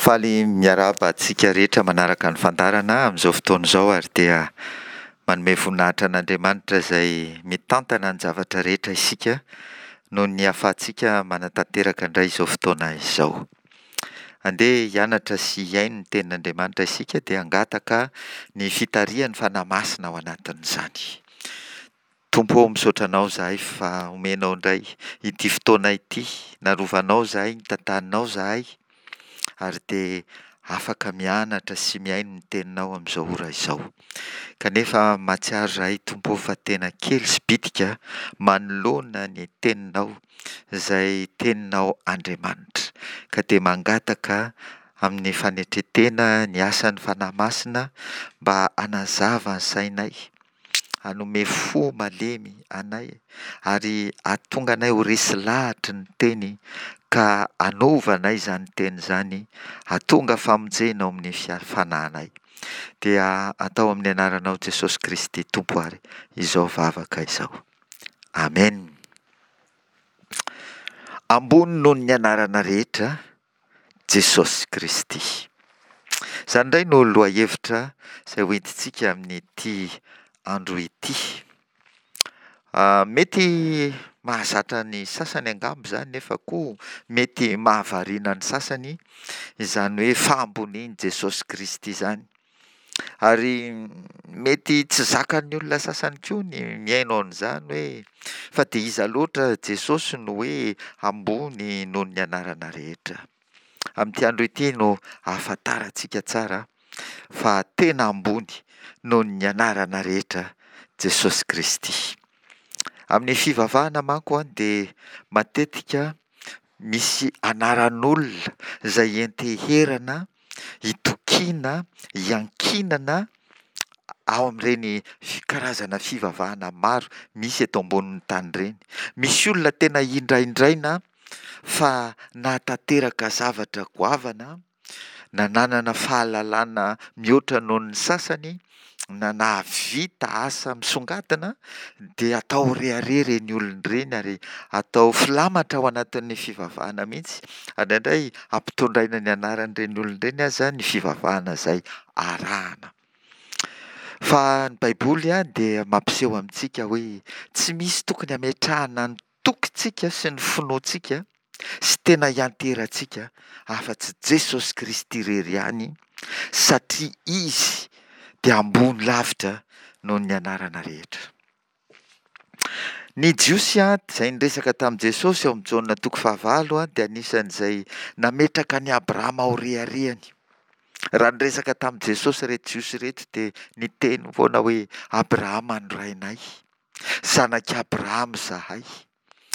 Faly miarahaba antsika rehetra manaraka ny fandaharana amin'izao fotoana izao ary dia manome voninahitra an'Andriamanitra izay mitantana ny zavatra rehetra isika noho ny ahafahantsika manatanteraka indray izao fotoana izao. Andeha hianatra sy hihaino ny tenin'Andriamanitra isika dia hangataka ny fitarihan'ny Fanahy Masina ao anatin'izany. Tompo ô, misaotra Anao izahay fa omenao indray ity fotoana ity, narovanao izahay, nitantaninao izahay, ary dia afaka mianatra sy mihaino ny Teninao amin'izao ora izao. Kanefa mahatsiaro izahay Tompo ô fa tena kely sy bitika manoloana ny Teninao, izay Teninao Andriamanitra. Ka dia mangataka amin'ny fanetren-tena ny asan'ny Fanahy Masina mba hanazava ny sainay, hanome fo malemy anay ary hahatonga anay ho resy lahatry ny Teny ka hanova anay izany Teny izany, hahatonga famonjena ao amin'ny fanahinay. Dia atao amin'ny anaranao Jesosy Kristy Tompo ary izao vavaka izao. Amen. Ambony noho ny anarana rehetra Jesosy Kristy. Izany indray no lohahevitra izay hoentintsika amin'ity andro ity. Ah, mety mahazatra ny sasany angamba izany nefa koa mety mahavariana ny sasany izany hoe fahambonian'i Jesosy Kristy izany. Ary mety tsy zakan'ny olona sasany koa ny mihaino an'izany hoe fa dia iza loatra Jesosy no hoe ambony noho ny anarana rehetra. Amin'ity andro ity no ahafantarantsika tsara fa tena ambony noho ny anarana rehetra Jesosy Kristy. Amin'ny fivavahana manko dia matetika misy anaran'olona izay ianteherana itokiana, iankinana ao amin'ireny karazana fivavahana maro misy eto ambonin'ny tany ireny. Misy olona tena indraindraina fa nahatanteraka zavatra goavana, na nanana fahalalana mihoatra noho ny sasany, na nahavita asa misongadina dia atao rehareha ireny olona ireny ary atao filamatra ao anatin'ny fivavahana mihitsy. Indraindray ampitondraina ny anaran'ireny olona ireny aza ny fivavahana izay arahana. Fa ny Baiboly dia mampiseho amintsika hoe tsy misy tokony hametrahana ny tokintsika sy ny finoantsika sy tena hianterantsika afa-tsy Jesosy Kristy irery ihany satria Izy dia ambony lavitra noho ny anarana rehetra. Ny Jiosy izay niresaka tamin'i Jesosy ao amin'ny Jaona toko fahavalo dia anisan'izay nametraka an'i Abrahama ho reharehany. Raha niresaka tamin'i Jesosy ireto Jiosy ireto dia niteny foana hoe Abrahama no rainay. Zanak'i Abrahama izahay.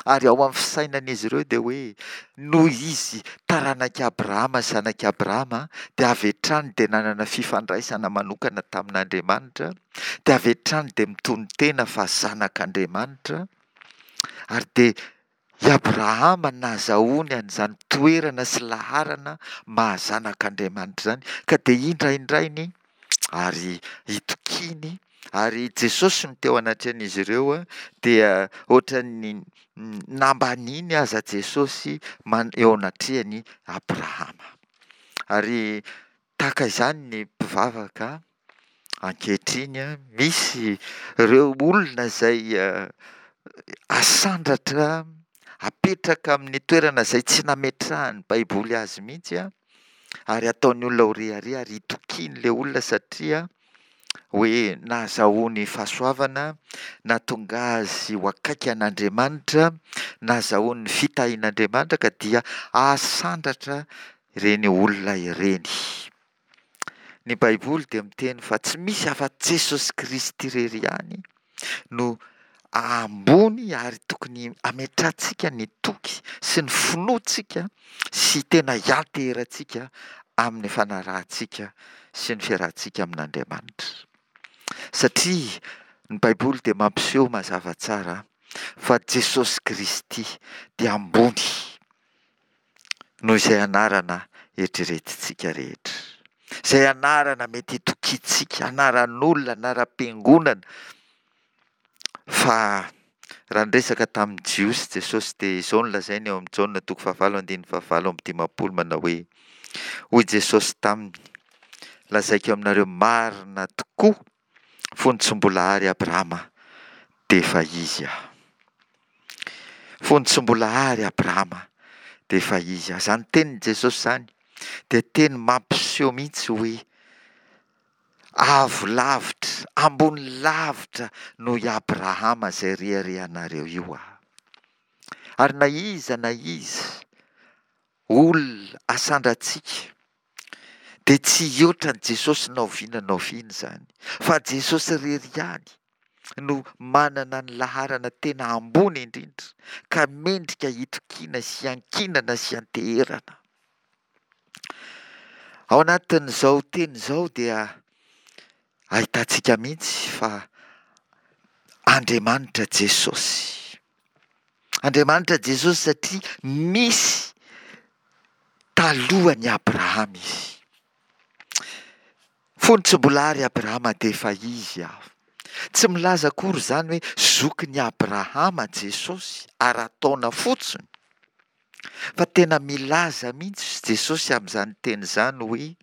Ary ao amin'ny fisainan'izy ireo dia hoe noho izy taranak'i Abrahama, zanak'i Abrahama, dia avy hatrany dia nanana fifandraisana manokana tamin'Andriamanitra, dia avy hatrany dia mitonon-tena fa zanak'Andriamanitra, ary dia i Abrahama nahazahoany an'izany toerana sy laharana maha zanak'Andriamanitra izany, ka dia indraindrainy ary itokiany, ary Jesosy no teo anatrehan'izy ireo dia ohatran'ny nambaniany aza Jesosy eo anatrehan'i Abrahama. Ary tahaka izany ny mpivavaka Ankehitriny, misy ireo olona izay asandratra, apetraka amin'ny toerana izay tsy nametrahan'ny Baiboly azy mihitsy, ary ataon'ny olona ho rehareha ary itokian'ilay olona satria hoe nahazahoany fahasoavana, nahatonga azy ho akaiky an'Andriamanitra, nahazahoany ny fitahian'Andriamanitra ka dia asandratra ireny olona ireny. Ny Baiboly dia miteny fa tsy misy afa-tsy Jesosy Kristy irery ihany no ambony ary tokony hametrahantsika ny toky sy ny finoantsika sy tena hianteherantsika amin'ny fanarahantsika sy ny fiarahantsika amin'Andriamanitra. Satria ny Baiboly dia mampiseho mazava tsara fa Jesosy Kristy dia ambony noho izay anarana eritreretintsika rehetra. Izay anarana mety hitokiantsika, anaran'olona, anaram-piangonana. Fa raha niresaka tamin'ny Jiosy Jesosy dia izao no lazainy ao amin'ny Jaona toko fahavalo andininy fahavalo amby dimampolo manao hoe. Hoy Jesosy taminy, Lazaiko aminareo marina tokoa, fony tsy mbola ary Abrahama, dia efa izy Aho. Fony tsy mbola ary Abrahama, dia efa izy Aho. Izany tenin'i Jesosy izany dia teny mampiseho mihitsy hoe avo lavitra, ambony lavitra noho i Abrahama izay reharehanareo io Aho. Ary na iza na iza olona asandrantsika dia tsy hihoatra an'i Jesosy na oviana na oviana izany, fa Jesosy irery ihany no manana ny laharana tena ambony indrindra ka mendrika hitokiana sy hiankinana sy hianteherana. Ao anatin'izao teny izao dia ahitantsika mihitsy fa Andriamanitra Jesosy. Andriamanitra Jesosy satria nisy talohan'i Abrahama izy. Fony tsy mbola ary Abrahama dia efa izy aho. Tsy milaza akory izany hoe zokin'i Abrahama Jesosy ara-taona fotsiny. Fa tena milaza mihitsy Jesosy amin'izany teny izany hoe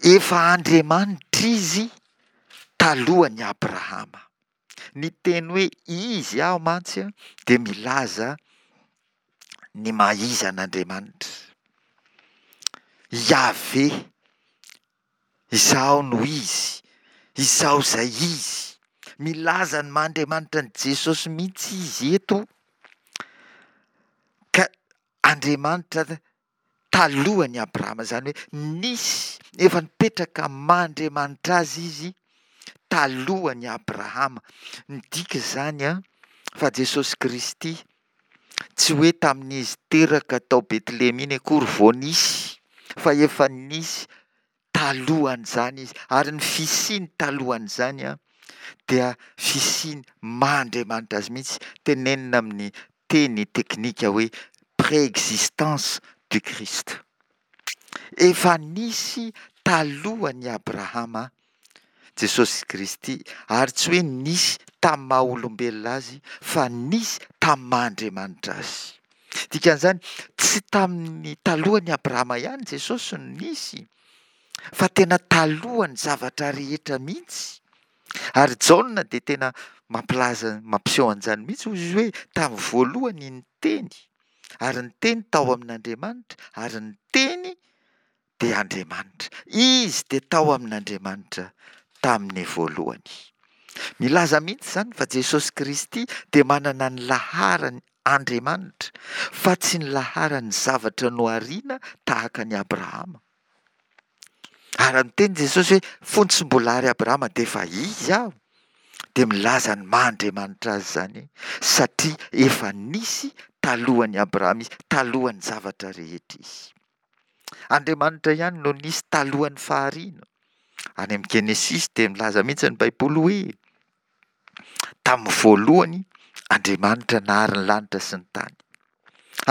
efa Andriamanitra izy talohan'i Abrahama. Ny teny hoe izy aho mantsy dia milaza ny maha izy an'Andriamanitra. Yaveh Izaho no Izy, Izaho izay Izy. Milaza ny maha Andriamanitra an'i Jesosy mihitsy izy eto, ka Andriamanitra talohan'i Abrahama, izany hoe nisy, efa nipetraka maha Andriamanitra azy izy talohan'i Abrahama. Midika izany an, fa Jesosy Kristy tsy hoe tamin'izy teraka tao Betlehema iny akory vao nisy, fa efa nisy talohan'izany izy, ary ny fisiany talohan'izany dia fisiany maha Andriamanitra azy mihitsy, tenenina amin'ny teny teknika hoe préexistence du Christ. Efa nisy talohan'i Abrahama Jesosy Kristy, ary tsy hoe nisy tamin'ny maha olombelona azy fa nisy tamin'ny maha Andriamanitra azy. Dikan'izany, tsy tamin'ny talohan'i Abrahama ihany Jesosy no nisy, fa tena talohan'ny zavatra rehetra mihitsy. Ary Jaona dia tena mampilaza, mampiseho an'izany mihitsy, hoy izy hoe tamin'ny voalohany ny Teny, ary ny Teny tao amin'Andriamanitra, ary ny Teny dia Andriamanitra. Izy dia tao amin'Andriamanitra tamin'ny voalohany. Milaza mihitsy izany fa Jesosy Kristy dia manana ny laharany Andriamanitra fa tsy ny laharan'ny zavatra nohariana tahaka an'i Abrahama. Ary raha niteny Jesosy hoe fony tsy mbola ary Abrahama dia efa izy aho, dia milaza ny maha Andriamanitra azy izany satria efa nisy talohan'i Abrahama izy, talohan'ny zavatra rehetra izy. Andriamanitra ihany no nisy talohan'ny fahariana. Any amin'ny Genesisy dia milaza mihitsy ny Baiboly hoe tamin'ny voalohany Andriamanitra nahary ny lanitra sy ny tany.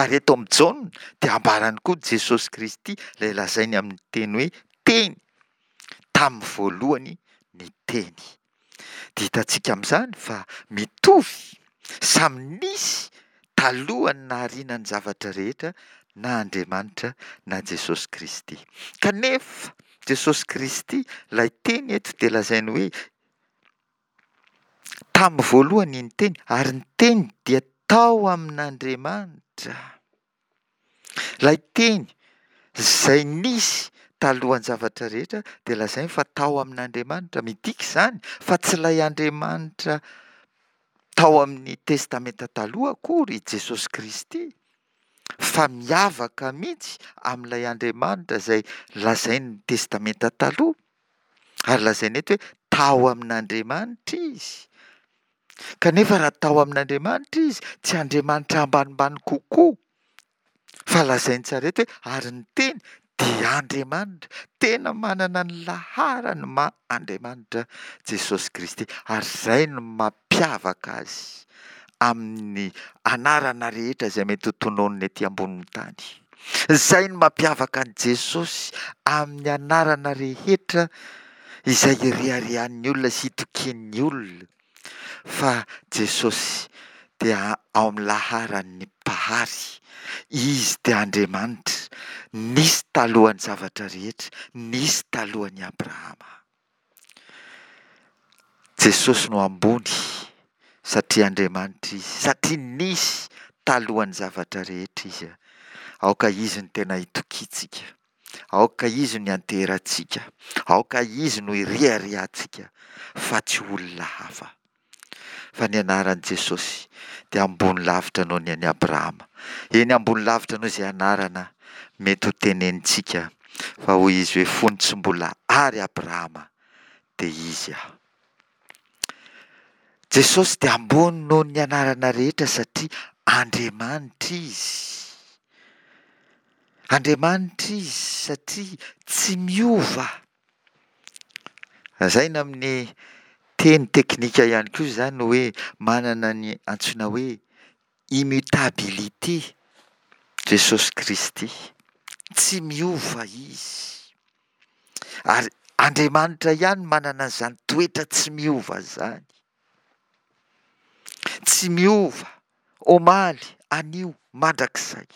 Ary eto amin'i Jaona dia ambarany koa Jesosy Kristy ilay lazainy amin'ny teny hoe teny. Tamin'ny voalohany ny teny. Dia hitantsika amin'izany fa mitovy, samy nisy talohan'ny nahariana ny zavatra rehetra na Andriamanitra na Jesosy Kristy. Kanefa Jesosy Kristy, ilay teny eto dia lazainy hoe tamin'ny voalohany ny teny ary ny teny dia tao amin'Andriamanitra. Ilay teny izay nisy talohan'ny zavatra rehetra dia lazainy fa tao amin'Andriamanitra. Midika izany fa tsy ilay Andriamanitra tao amin'ny Testamenta Taloha akory i Jesosy Kristy, fa miavaka mihitsy amin'ilay Andriamanitra izay lazain'ny Testamenta Taloha. Ary lazaina eto hoe tao amin'Andriamanitra izy. Kanefa raha tao amin'Andriamanitra izy, tsy Andriamanitra ambanimbany kokoa, fa lazainy tsara eto hoe ary ny teny dia Andriamanitra. Tena manana ny laharany maha Andriamanitra Jesosy Kristy, ary izay no mampiavaka azy amin'ny anarana rehetra izay mety ho tononina ety ambonin'ny tany. Izay no mampiavaka an'i Jesosy amin'ny anarana rehetra izay ireharehan'ny olona sy itokian'ny olona fa Jesosy dia ao amin'ny laharan'ny Mpahary. Izy dia Andriamanitra, nisy talohan'ny zavatra rehetra, nisy talohan'i Abrahama. Jesosy no ambony satria Andriamanitra Izy, satria nisy talohan'ny zavatra rehetra Izy. Aoka Izy no tena itokiantsika, aoka Izy no ianteherantsika, aoka Izy no ireharehantsika fa tsy olona hafa. Fa ny anaran'i Jesosy dia ambony lavitra noho ny an'i Abrahama. Eny ambony lavitra noho izay anarana mety ho tenenintsika. Fa hoy izy hoe fony tsy mbola ary Abrahama dia izy aho. Jesosy dia ambony noho ny anarana rehetra satria Andriamanitra Izy. Andriamanitra Izy satria tsy miova. Lazaina amin'ny teny teknika ihany koa izany hoe manana ny antsoina hoe immutabilité Jesosy Kristy. Tsy miova Izy. Ary Andriamanitra ihany manana an'izany toetra tsy miova izany. Tsy miova, omaly, anio, mandrakizay.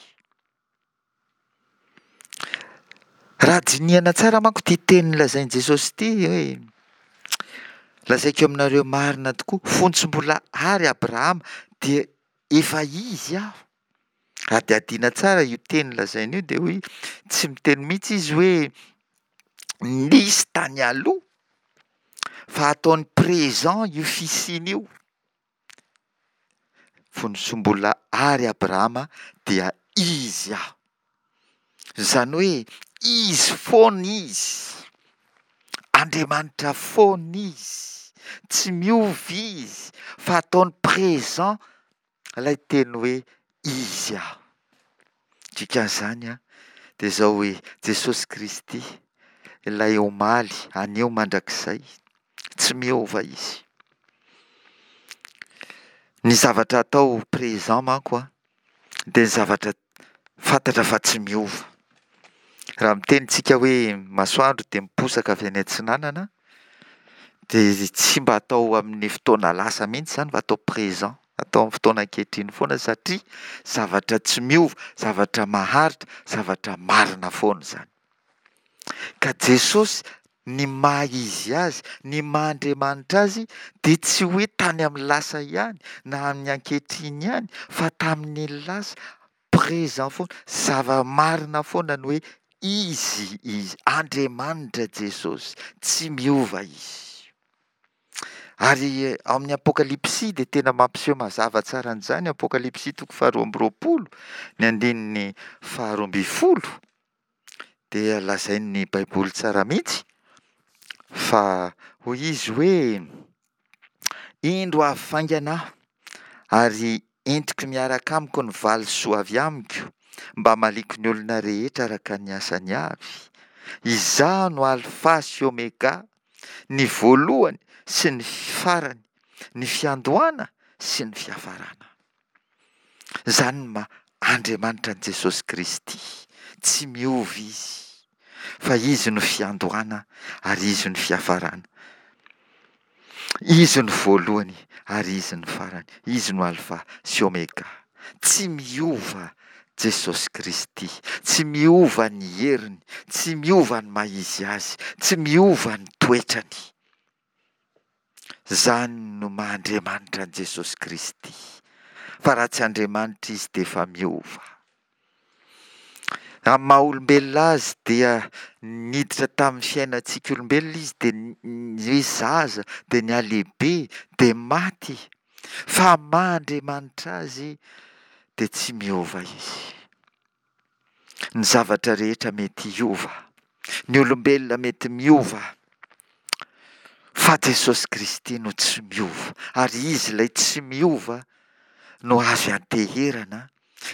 Raha dinihana tsara manko ity teny lazain'i Jesosy ity hoe lazaiko aminareo marina tokoa, fony tsy mbola ary Abrahama dia efa izy aho. Hadihadiana tsara io teny lazainy io dia hoy tsy miteny mihitsy izy hoe nisy tany aloha fa ataony présent io fisiana io. Fony tsy mbola ary Abrahama dia izy aho. Izany hoe izy foana izy. Andriamanitra foana izy. Tsy miova izy fa ataony présent Ilay teny hoe Izy aho. Dikan'izany dia izao hoe Jesosy Kristy, ilay omaly, anio, mandrakizay, tsy miova Izy. Ny zavatra atao présent manko dia ny zavatra fantatra fa tsy miova. Raha miteny tsika hoe masoandro dia miposaka avy any atsinanana dia tsy mba atao amin'ny fotoana lasa mihitsy izany fa atao présent, atao amin'ny fotoana ankehitriny foana satria zavatra tsy miova, zavatra maharitra, zavatra marina foana izany. Ka Jesosy ny maha izy azy, ny maha Andriamanitra azy dia tsy hoe tany amin'ny lasa ihany na amin'ny ankehitriny ihany fa tamin'ny lasa, présent foana, zava-marina foana ny hoe Izy Izy, Andriamanitra Jesosy, tsy miova Izy. Ary ao amin'ny Apokalypsy dia tena mampiseho mazava tsara an'izany, Apokalypsy toko faharoa amby roapolo, ny andininy faharoa ambin'ny folo, dia lazain'ny Baiboly tsara mihitsy fa hoy izy hoe, Indro avy faingana aho, ary entiko miaraka amiko ny valisoa avy amiko, mba hamaliako ny olona rehetra araka ny asany avy. Izaho no Alfa sy Omega, ny voalohany sy ny farany, ny fiandohana sy ny fiafarana. Izany no maha Andriamanitra an'i Jesosy Kristy. Tsy miova Izy, fa Izy no fiandohana ary Izy no fiafarana. Izy no voalohany ary Izy no farany. Izy no Alfa sy Omega. Tsy miova Jesosy Kristy. Tsy miova ny heriny, tsy miova ny maha Izy Azy, tsy miova ny toetrany. Izany no maha Andriamanitra an'i Jesosy Kristy. Fa raha tsy Andriamanitra Izy dia efa miova. Amin'ny maha olombelona azy dia niditra tamin'ny fiainantsika olombelona izy dia hoe zaza dia nihalehibe dia maty. Fa amin'ny maha Andriamanitra azy dia tsy miova izy. Ny zavatra rehetra mety hiova, ny olombelona mety miova, fa Jesosy Kristy no tsy miova, ary Izy ilay tsy miova no azo ianteherana,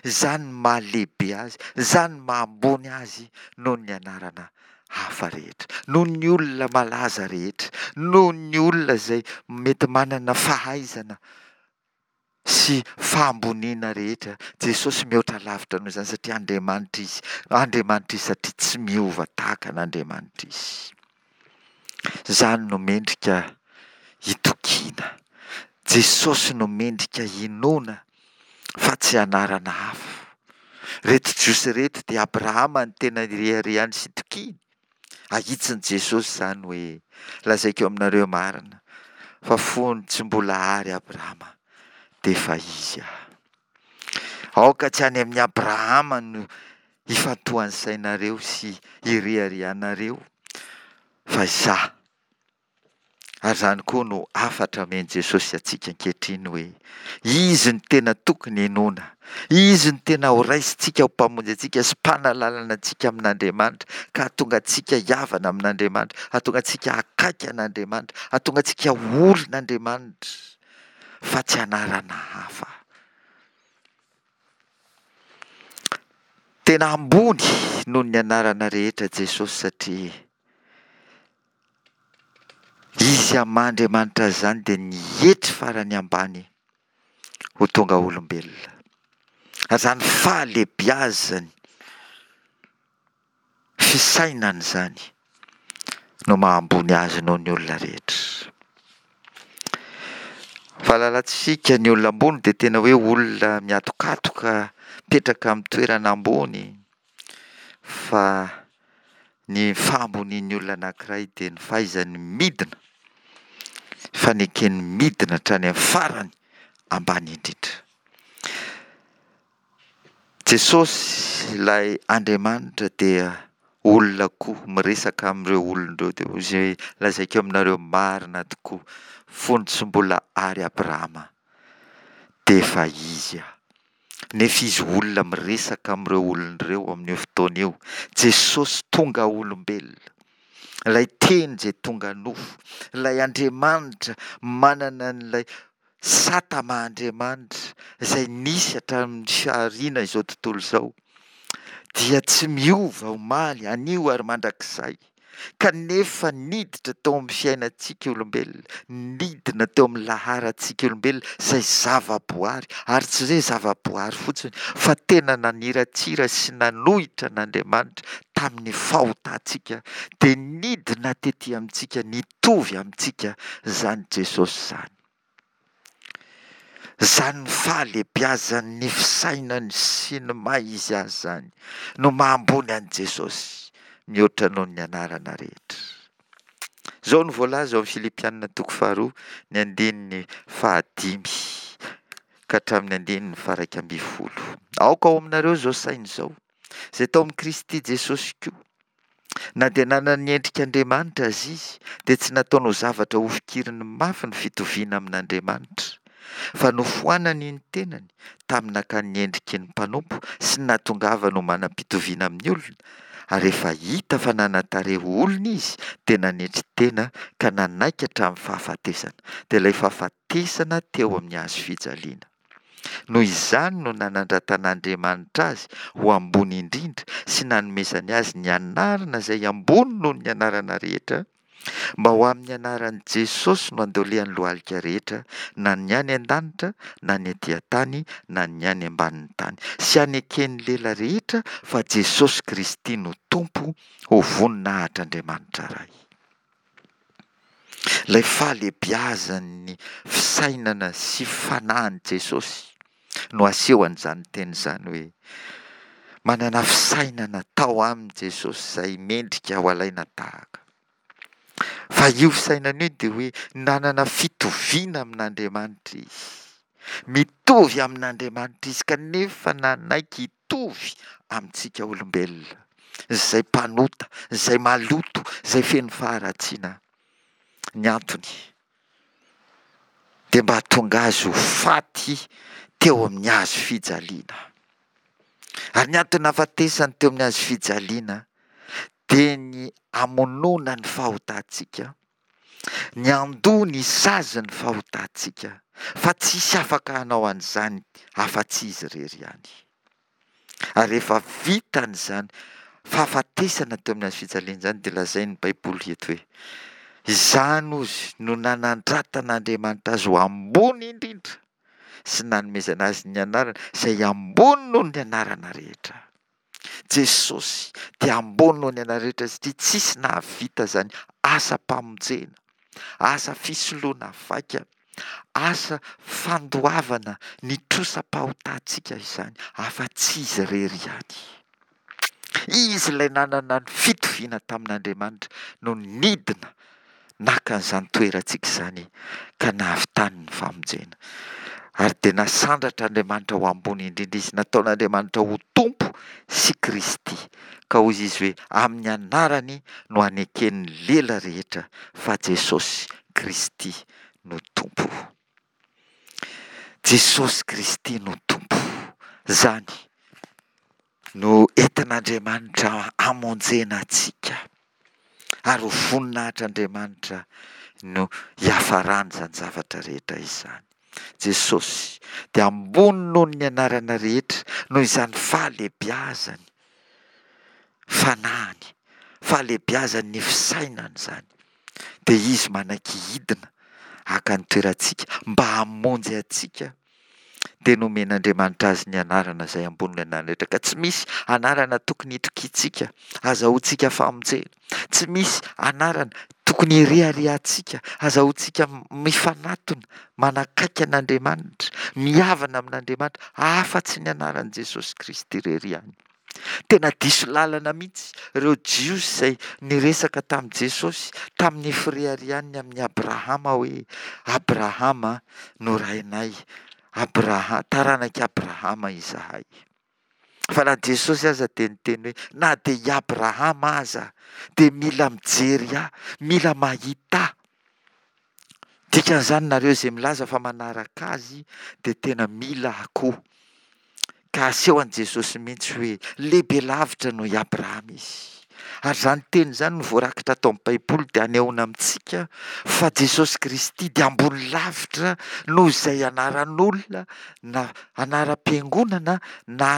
izany no maha lehibe Azy, izany no maha ambony Azy noho ny anarana hafa rehetra, noho ny olona malaza rehetra, noho ny olona izay mety manana fahaizana sy fahamboniana rehetra. Jesosy mihoatra lavitra noho izany satria Andriamanitra Izy. Andriamanitra Izy satria tsy miova tahaka an'Andriamanitra Izy. Izany no mendrika hitokiana. Jesosy no mendrika hinoana fa tsy anarana hafa. Ireto Jiosy ireto dia Abrahama no tena ireharehany sy itokiany. Ahitsin'i Jesosy izany hoe, Lazaiko aminareo marina fa fony tsy mbola àry Abrahama dia efa izy aho. Aoka tsy any amin'i Abrahama no ifantohan'ny sainareo sy ireharehanareo fa izaho. Ary izany koa no hafatra omen'i Jesosy antsika ankehitriny hoe, Izy no tena tokony hinoana, Izy no tena horaisintsika ho Mpamonjy antsika sy Mpanalalana antsika amin'Andriamanitra, ka hahatonga antsika hihavana amin'Andriamanitra, hahatonga antsika hakaiky an'Andriamanitra, hahatonga antsika ho olon'Andriamanitra, fa tsy anarana hafa. Tena ambony noho ny anarana rehetra Jesosy satria Izy amin'ny maha Andriamanitra azy izany dia nietry farany ambany ho tonga olombelona. Ary izany fahalebiazany, fisainany izany no maha ambony azy noho ny olona rehetra. Fahalalantsika ny olona ambony dia tena hoe olona mihatokatoka, mipetraka amin'ny toerana ambony fa Ny fahambonian'ny olona anankiray dia ny fahaizany midina, fanekeny midina hatrany amin'ny farany ambany indrindra. Jesosy ilay Andriamanitra dia olona koa miresaka amin'ireo olona ireo dia hoy izy hoe lazaiko aminareo marina tokoa fony tsy mbola ary Abrahama dia efa izy aho. Nefa izy olona miresaka amin'ireo olona ireo amin'io fotoana io. Jesosy tonga olombelona. Ilay Teny izay tonga nofo. Ilay Andriamanitra manana an'ilay sata maha Andriamanitra izay nisy hatramin'ny fahariana izao tontolo izao dia tsy miova omaly, anio ary mandrakizay. Kanefa niditra teo amin'ny fiainantsika olombelona, nidina teo amin'ny laharantsika olombelona izay zava-boary, ary tsy hoe zava-boary fotsiny fa tena naniratsira sy nanohitra an'Andriamanitra tamin'ny fahotantsika, dia nidina tety amintsika nitovy amintsika izany Jesosy izany. Izany fahalebiazan'ny fisainany sy ny maha izy azy izany no maha ambony an'i Jesosy mihoatra noho ny anarana rehetra. Izao no voalaza ao amin'ny Filipiana toko faharoa ny andininy fahadimy ka hatramin'ny andininy faharaika ambin'ny folo. Aoka ao aminareo izao saina izao, izay tao amin'i Kristy Jesosy koa. Na dia nanana ny endrik'Andriamanitra aza izy, dia tsy nataony ho zavatra hofikiriny mafy ny fitoviana amin'Andriamanitra, fa nofoanany ny tenany tamin'ny nakany ny endriky ny mpanompo sy ny nahatongavany ho manam-pitoviana amin'ny olona, ary rehefa hita fa nanan-tarehy ho olona izy, dia nanetry tena ka nanaiky hatramin'ny fahafatesana, dia ilay fahafatesana teo amin'ny hazo fijaliana. Noho izany no nanandratan'Andriamanitra azy ho ambony indrindra sy nanomezany azy ny anarana izay ambony noho ny anarana rehetra, mba ho amin'ny anaran'i Jesosy no andolehan'ny lohalika rehetra, na ny any an-danitra, na ny ety an-tany, na ny any ambanin'ny tany, sy haneken'ny lela rehetra fa Jesosy Kristy no Tompo, ho voninahitr'Andriamanitra Ray. Ilay fahalebiazan'ny fisainana sy fanahin'i Jesosy no asehon'izany teny izany hoe manana fisainana tao aminy Jesosy izay mendrika ho alaina tahaka. Fa io fisainana io dia hoe nanana fitoviana amin'Andriamanitra izy. Mitovy amin'Andriamanitra izy kanefa nanaiky hitovy amintsika olombelona, izay mpanota, izay maloto, izay feno faharatsiana. Ny antony dia mba hahatonga azy ho faty teo amin'ny hazo fijaliana. Ary ny antony nahafatesany teo amin'ny hazo fijaliana dia ny hamonoana ny fahotantsika, ny handoa ny sazin'ny fahotantsika, fa tsisy afaka hanao an'izany afa-tsy izy irery ihany. Ary rehefa vitany izany fahafatesana teo amin'ny hazo fijaliana izany dia lazain'ny Baiboly eto hoe izany hozy no nanandratan'Andriamanitra azy ho ambony indrindra sy nanomezana azy ny anarana izay ambony noho ny anarana rehetra. Jesosy dia ambony noho ny anarana rehetra satria tsisy nahavita izany asam-pamonjena, asa fisoloana vaika. asa fandoavana ny trosam-pahotantsika izany afa-tsy Izy irery ihany. Izy ilay nanana ny fitoviana tamin'Andriamanitra no nidina naka an'izany toerantsika izany ka nahavitany ny famonjena. Ary dia nasandratr'Andriamanitra ho ambony indrindra Izy, nataon'Andriamanitra ho Tompo sy Kristy. Ka hoy Izy hoe, Amin'ny anarany no haneken'ny lela rehetra fa Jesosy Kristy no Tompo. Jesosy Kristy no Tompo. Izany no entin'Andriamanitra hamonjena antsika, ary ho voninahitr'Andriamanitra no hiafaran'izany zavatra rehetra izany. Jesosy dia ambony noho ny anarana rehetra noho izany fahalebiazany fanahiny, fahalebiazan'ny fisainany izany. Dia Izy manaiky hidina haka ny toerantsika mba hamonjy antsika dia nomen'Andriamanitra azy ny anarana izay ambonin'ny anarana rehetra ka tsy misy anarana tokony hitokiantsika azahoantsika famonjena, tsy misy anarana tokony hireharehantsika azahoantsika mifanatona manakaiky an'Andriamanitra, mihavana amin'Andriamanitra afa-tsy ny anaran'i Jesosy Kristy irery ihany. Tena diso lalana mihitsy ireo Jiosy izay niresaka tamin'i Jesosy tamin'ny fireharehany ny amin'i Abrahama hoe, Abrahama no rainay, Abraha- taranak'i Abrahama izahay. Fa na Jesosy aza dia niteny hoe, na dia i Abrahama aza dia mila mijery ahy, mila mahita ahy. Dikan'izany nareo izay milaza fa manaraka azy dia tena mila akoho. Ka aseho an'i Jesosy mihitsy hoe lehibe lavitra noho i Abrahama izy. Ary izany teny izany no voarakitra ato amin'ny Baiboly dia anehoana amintsika fa Jesosy Kristy dia ambony lavitra noho izay anaran'olona na anaram-piangonana na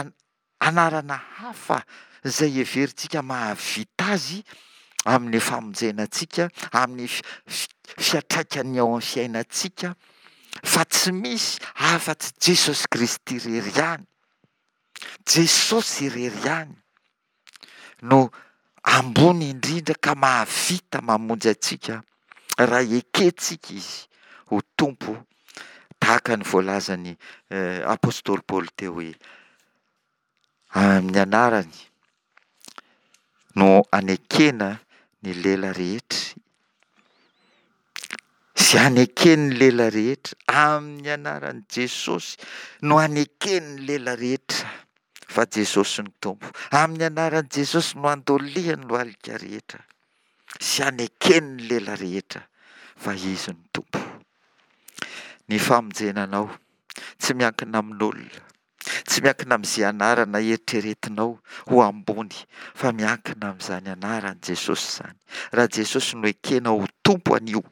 anarana hafa izay heverintsika mahavita azy amin'ny famonjena antsika, amin'ny fiantraikany ao amin'ny fiainantsika, fa tsy misy afa-tsy Jesosy Kristy irery ihany. Jesosy irery ihany no ambony indrindra ka mahavita mamonjy antsika raha ekentsika Izy ho Tompo tahaka ny voalazan'ny apostoly Paoly teo hoe amin'ny anarany no anekena ny lela rehetra sy aneken'ny lela rehetra amin'ny anaran'i Jesosy no aneken'ny lela rehetra fa Jesosy no Tompo. Amin'ny anaran'i Jesosy no andolian'ny lohalika rehetra sy aneken'ny lela rehetra fa Izy no Tompo. Ny famonjena anao tsy miankina amin'olona, tsy miankina amin'izay anarana eritreretinao ho ambony fa miankina amin'izany anaran'i Jesosy izany. Raha Jesosy no ekena ho Tompo anio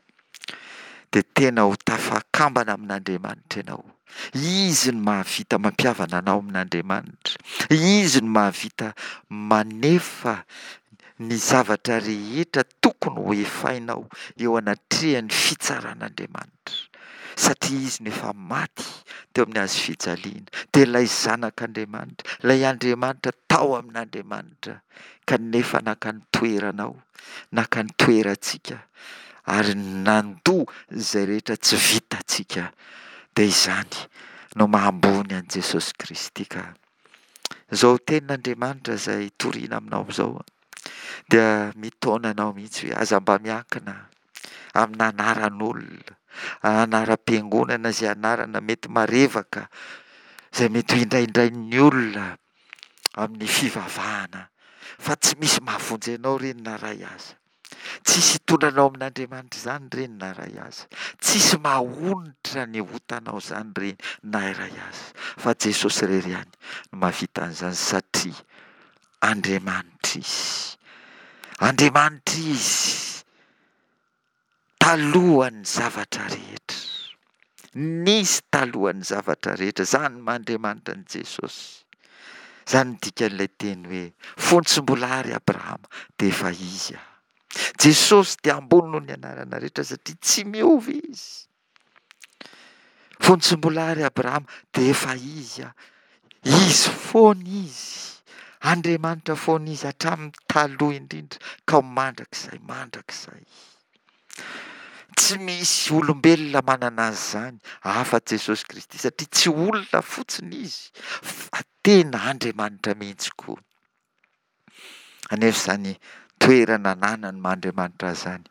dia tena ho tafakambana amin'Andriamanitra ianao. Izy no mahavita mampihavana anao amin'Andriamanitra. Izy no mahavita manefa ny zavatra rehetra tokony ho efainao eo anatrehan'ny fitsaran'Andriamanitra. Satria Izy no efa maty teo amin'ny hazo fijaliana, dia ilay Zanak'Andriamanitra, ilay Andriamanitra tao amin'Andriamanitra, kanefa naka ny toeranao, naka ny toerantsika, ary nandoa izay rehetra tsy vitantsika. Dia izany no maha ambony an'i Jesosy Kristy ka. Izao tenin'Andriamanitra izay toriana aminao izao dia mitaona anao mihitsy hoe aza mba miankina amina anaran'olona, anaram-piangonana izay anarana mety marevaka, izay mety ho indraindrain'ny olona amin'ny fivavahana, fa tsy misy mahavonjy anao ireny na iray aza. Tsisy hitondra anao amin'Andriamanitra izany ireny na iray aza. Tsisy mahonitra ny otanao izany ireny na iray aza. Fa Jesosy irery ihany no mahavita an'izany satria Andriamanitra Izy. Andriamanitra Izy talohan'ny zavatra rehetra. Nisy talohan'ny zavatra rehetra. Izany maha Andriamanitra an'i Jesosy. Izany no dikan'ilay teny hoe fony tsy mbola ary Abrahama dia efa izy aho. Jesosy dia ambony noho ny anarana rehetra satria tsy miova izy. Fony tsy mbola ary Abrahama dia efa izy aho. Izy foana izy. Andriamanitra foana izy hatramin'ny taloha indrindra ka ho mandrakizay mandrakizay. Tsy misy olombelona manana an'izany afa-tsy Jesosy Kristy satria tsy olona fotsiny Izy fa tena Andriamanitra mihitsy koa. Anefa izany toerana ananany maha Andriamanitra azy izany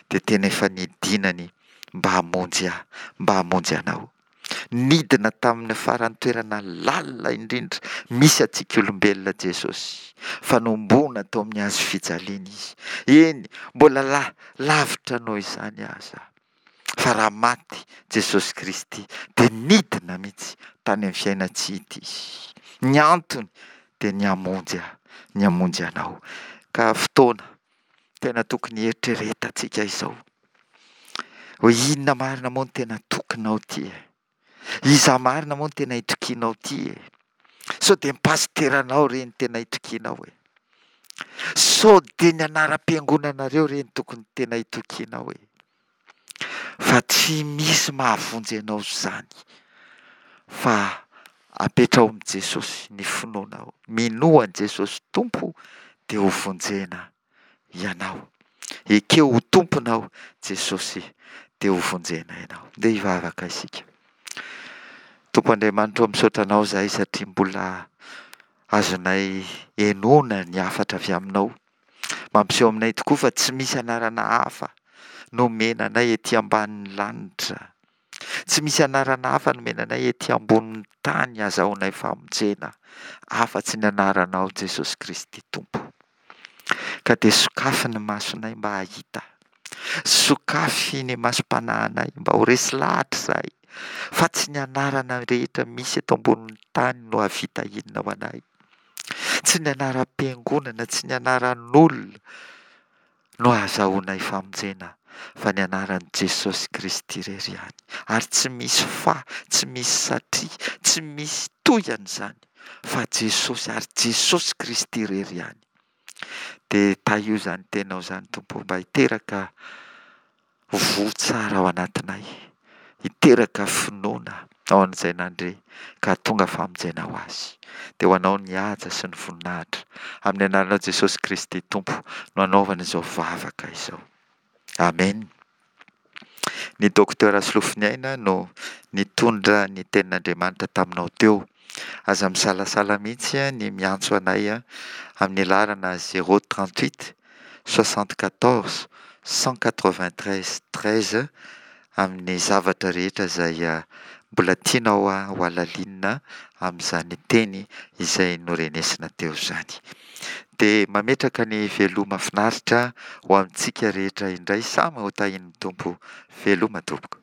dia tena efa nidinany mba hamonjy ahy, mba hamonjy anao. Nidina tamin'ny faran'ny toerana lalina indrindra misy antsika olombelona Jesosy, fa nohomboana tao amin'ny hazo fijaliana Izy. Eny, mbola la, lavitra noho izany aza. Fa raha maty Jesosy Kristy dia nidina mihitsy tany amin'ny fiainan-tsy hita Izy. Ny antony dia ny hamonjy ahy, ny hamonjy anao. Ka fotoana tena tokony hieritreretantsika izao. Hoe inona marina moa no tena tokinao ity e? Iza marina moa no tena itokianao ity e? Sao dia ny pasiteranao re no tena itokianao e? Sao dia ny anaram-piangonanareo re no tokony tena itokianao e? Fa tsy misy mahavonjy anao izany fa apetraho amin'i Jesosy ny finoanao. Minoa an'i Jesosy Tompo dia ho vonjena ianao. Ekeo ho Tomponao Jesosy dia ho vonjena ianao. Ndeha hivavaka isika. Tompo Andriamanitra ô misaotra anao izahay satria mbola azonay henoina ny hafatra avy aminao. Mampiseho aminay tokoa fa tsy misy anarana hafa nomena anay ety ambanin'ny lanitra. Tsy misy anarana hafa nomena anay ety ambonin'ny tany azahoanay famonjena afa-tsy ny anaranao Jesosy Kristy Tompo. Ka dia sokafy ny masonay mba hahita. Sokafy ny masom-panahinay mba ho resy lahatra izahay fa tsy ny anarana rehetra misy eto ambonin'ny tany no hahavita inona ho anay. Tsy ny anaram-piangonana, tsy ny anaran'olona no ahazahoanay famonjena fa ny anaran'i Jesosy Kristy irery ihany. Ary tsy misy fa, tsy misy satria, tsy misy toy an'izany fa Jesosy ary Jesosy Kristy irery ihany. Dia tahio izany teninao izany Tompo ô mba hiteraka voa tsara ao anatinay, hiteraka finoana ao an'izay nandre ka hahatonga famonjena ho azy. Dia ho anao ny haja sy ny voninahitra. Amin'ny anaranao Jesosy Kristy Tompo no anaovana izao vavaka izao. Amen. Ny Docteur Solofoniaina no nitondra ny tenin'Andriamanitra taminao teo. Aza misalasala mihitsy ny miantso anay amin'ny laharana 038 74 193 13 amin'ny zavatra rehetra izay mbola tianao ho halalinina amin'izany teny izay norenesina teo izany. Dia mametraka ny veloma finaritra ho amintsika rehetra indray samy ho tahian'ny Tompo. Veloma tompoko.